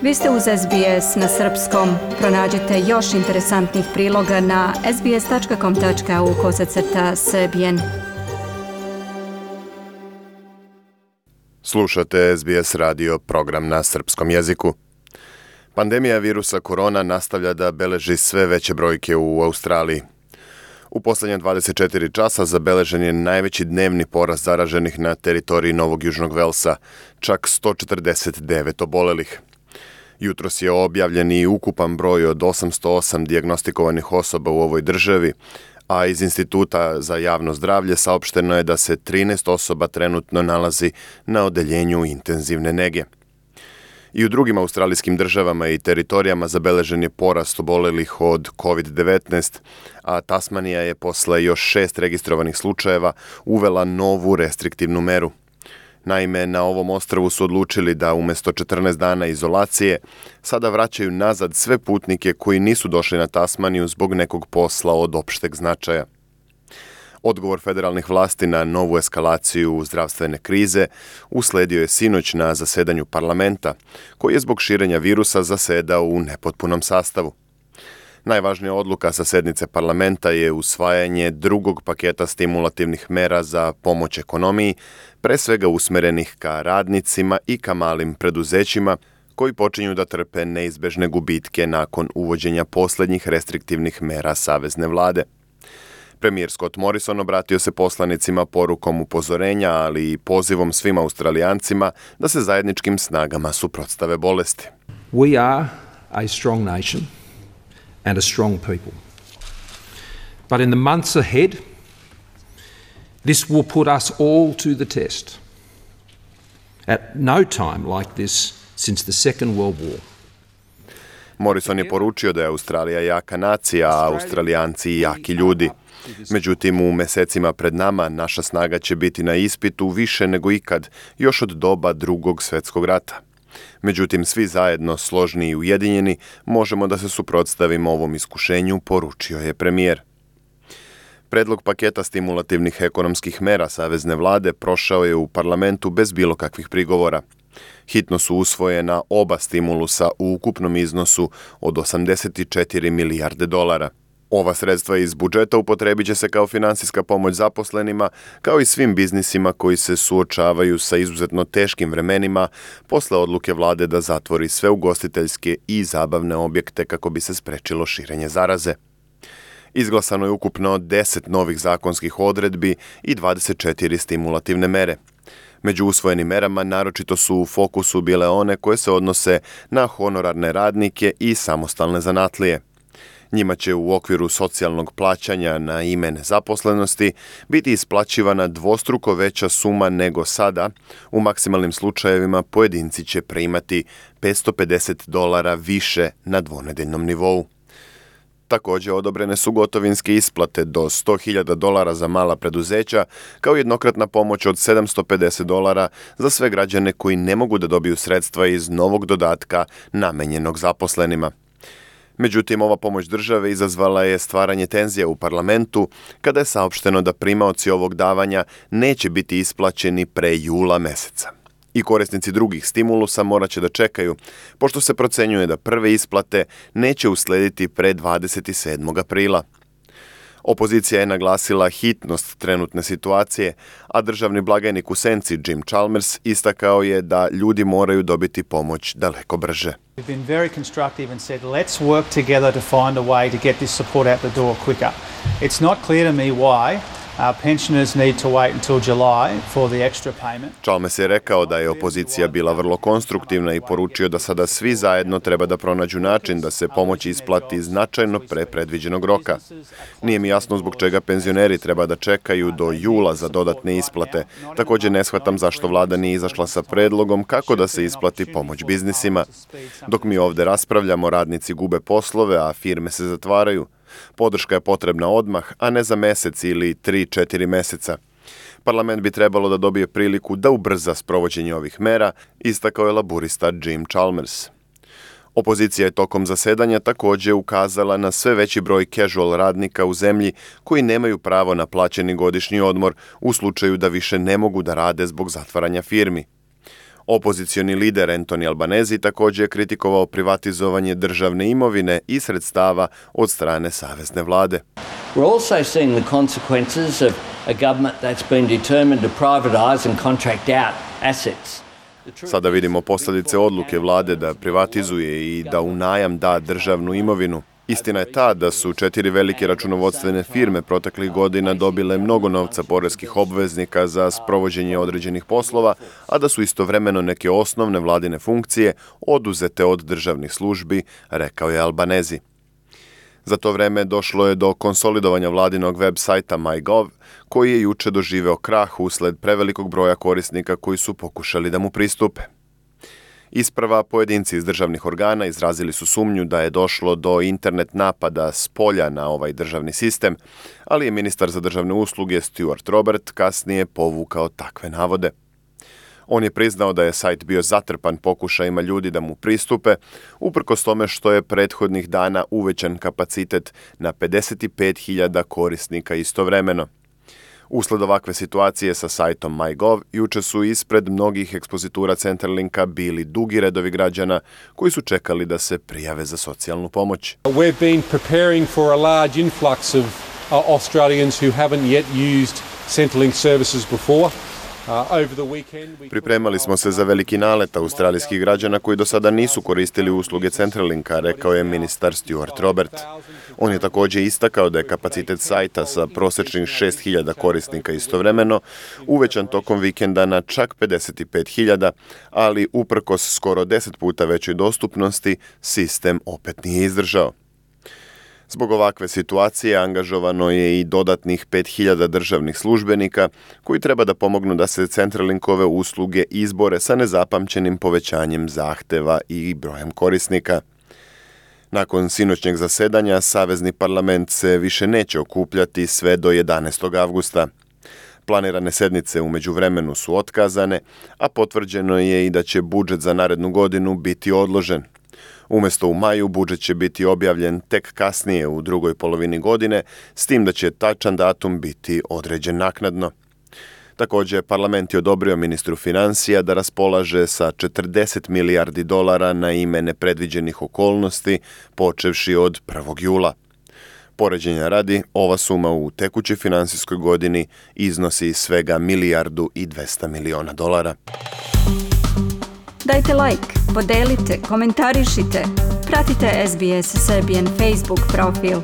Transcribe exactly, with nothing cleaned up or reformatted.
Vi ste uz S B S na srpskom. Pronađite još interesantnih priloga na sbs.com.au kosacrta srbijen. Slušate S B S radio, program na srpskom jeziku. Pandemija virusa korona nastavlja da beleži sve veće brojke u Australiji. U posljednje dvadeset četiri časa zabeležen je najveći dnevni porast zaraženih na teritoriji Novog Južnog Velsa, čak sto četrdeset devet obolelih. Jutros je objavljen i ukupan broj od osamsto osam dijagnostikovanih osoba u ovoj državi, a iz Instituta za javno zdravlje saopšteno je da se trinaest osoba trenutno nalazi na odeljenju intenzivne nege. I u drugim australijskim državama i teritorijama zabeležen je porast obolelih od kovid devetnaest, a Tasmanija je posle još šest registrovanih slučajeva uvela novu restriktivnu meru. Naime, na ovom ostrvu su odlučili da umjesto četrnaest dana izolacije sada vraćaju nazad sve putnike koji nisu došli na Tasmaniju zbog nekog posla od opšteg značaja. Odgovor federalnih vlasti na novu eskalaciju zdravstvene krize usledio je sinoć na zasedanju parlamenta, koji je zbog širenja virusa zasedao u nepotpunom sastavu. Najvažnija odluka sa sednice parlamenta je usvajanje drugog paketa stimulativnih mera za pomoć ekonomiji, pre svega usmerenih ka radnicima i ka malim preduzećima, koji počinju da trpe neizbežne gubitke nakon uvođenja posljednjih restriktivnih mera savezne vlade. Premijer Scott Morrison obratio se poslanicima porukom upozorenja, ali i pozivom svim Australijancima da se zajedničkim snagama suprotstave bolesti. We are a strong nation and a strong people. But in the months ahead, this will put us all to the test. At no time like this since the Second World War. Morrison je poručio da je Australija jaka nacija, a Australijanci jaki ljudi. Međutim, u mesecima pred nama naša snaga će biti na ispitu više nego ikad, još od doba Drugog svjetskog rata. Međutim, svi zajedno, složni i ujedinjeni, možemo da se suprotstavimo ovom iskušenju, poručio je premijer. Predlog paketa stimulativnih ekonomskih mera savezne vlade prošao je u parlamentu bez bilo kakvih prigovora. Hitno su usvojena oba stimulusa u ukupnom iznosu od osamdeset četiri milijarde dolara. Ova sredstva iz budžeta upotrebit će se kao finansijska pomoć zaposlenima, kao i svim biznisima koji se suočavaju sa izuzetno teškim vremenima posle odluke vlade da zatvori sve ugostiteljske i zabavne objekte kako bi se sprečilo širenje zaraze. Izglasano je ukupno deset novih zakonskih odredbi i dvadeset četiri stimulativne mere. Među usvojenim merama naročito su u fokusu bile one koje se odnose na honorarne radnike i samostalne zanatlije. Njima će u okviru socijalnog plaćanja na ime nezaposlenosti biti isplaćivana dvostruko veća suma nego sada. U maksimalnim slučajevima pojedinci će primati petsto pedeset dolara više na dvonedeljnom nivou. Također odobrene su gotovinske isplate do sto hiljada dolara za mala preduzeća, kao jednokratna pomoć od sedamsto pedeset dolara za sve građane koji ne mogu da dobiju sredstva iz novog dodatka namenjenog zaposlenima. Međutim, ova pomoć države izazvala je stvaranje tenzija u parlamentu kada je saopšteno da primaoci ovog davanja neće biti isplaćeni pre jula meseca. I korisnici drugih stimulusa morat će da čekaju, pošto se procenjuje da prve isplate neće uslediti pre dvadeset sedmog aprila. Opozicija je naglasila hitnost trenutne situacije, a državni blagajnik u senci Jim Chalmers istakao je da ljudi moraju dobiti pomoć daleko brže. We've been very constructive and said let's work together to find a way to get this support out the door quicker. It's not clear to me why Our pensioners need to wait until July for the extra payment. Chalmers je rekao da je opozicija bila vrlo konstruktivna i poručio da sada svi zajedno treba da pronađu način da se pomoć isplati značajno pre predviđenog roka. Nije mi jasno zbog čega penzioneri treba da čekaju do jula za dodatne isplate. Također ne shvatam zašto vlada nije izašla sa predlogom kako da se isplati pomoć biznisima. Dok mi ovdje raspravljamo, radnici gube poslove, a firme se zatvaraju. Podrška je potrebna odmah, a ne za mesec ili tri četiri meseca. Parlament bi trebalo da dobije priliku da ubrza sprovođenje ovih mera, istakao je laburista Jim Chalmers. Opozicija je tokom zasedanja također ukazala na sve veći broj casual radnika u zemlji koji nemaju pravo na plaćeni godišnji odmor u slučaju da više ne mogu da rade zbog zatvaranja firmi. Opozicioni lider Anthony Albanese također je kritikovao privatizovanje državne imovine i sredstava od strane savezne vlade. We're also seeing the consequences of a government that's been determined to privatize and contract out assets. Sada vidimo posljedice odluke vlade da privatizuje i da u najam da državnu imovinu. Istina je ta da su četiri velike računovodstvene firme proteklih godina dobile mnogo novca poreskih obveznika za sprovođenje određenih poslova, a da su istovremeno neke osnovne vladine funkcije oduzete od državnih službi, rekao je Albanese. Za to vreme došlo je do konsolidovanja vladinog web sajta MyGov, koji je juče doživeo krah usled prevelikog broja korisnika koji su pokušali da mu pristupe. Isprva pojedinci iz državnih organa izrazili su sumnju da je došlo do internet napada s polja na ovaj državni sistem, ali je ministar za državne usluge Stuart Robert kasnije povukao takve navode. On je priznao da je sajt bio zatrpan pokušajima ljudi da mu pristupe, uprkos tome što je prethodnih dana uvećan kapacitet na pedeset pet hiljada korisnika istovremeno. Usled ovakve situacije sa sajtom MyGov, juče su ispred mnogih ekspozitura Centralinka bili dugi redovi građana koji su čekali da se prijave za socijalnu pomoć. We've been preparing for a large influx of uh, Australians who haven't yet used Centrelink services before. Pripremali smo se za veliki nalet australijskih građana koji do sada nisu koristili usluge Centralinka, rekao je ministar Stuart Robert. On je također istakao da je kapacitet sajta sa prosječnih šest hiljada korisnika istovremeno uvećan tokom vikenda na čak pedeset pet hiljada, ali uprkos skoro deset puta većoj dostupnosti, sistem opet nije izdržao. Zbog ovakve situacije angažovano je i dodatnih pet hiljada državnih službenika koji treba da pomognu da se Centralinkove usluge izbore sa nezapamćenim povećanjem zahteva i brojem korisnika. Nakon sinoćnjeg zasedanja, Savezni parlament se više neće okupljati sve do jedanaestog avgusta. Planirane sednice u međuvremenu su otkazane, a potvrđeno je i da će budžet za narednu godinu biti odložen. Umjesto u maju, budžet će biti objavljen tek kasnije u drugoj polovini godine, s tim da će tačan datum biti određen naknadno. Također, parlament je odobrio ministru financija da raspolaže sa četrdeset milijardi dolara na ime nepredviđenih okolnosti, počevši od prvog jula. Poređenja radi, ova suma u tekućoj finansijskoj godini iznosi svega milijardu i dvesta miliona dolara. Dajte like, podelite, komentarišite, pratite S B S Serbian Facebook profil.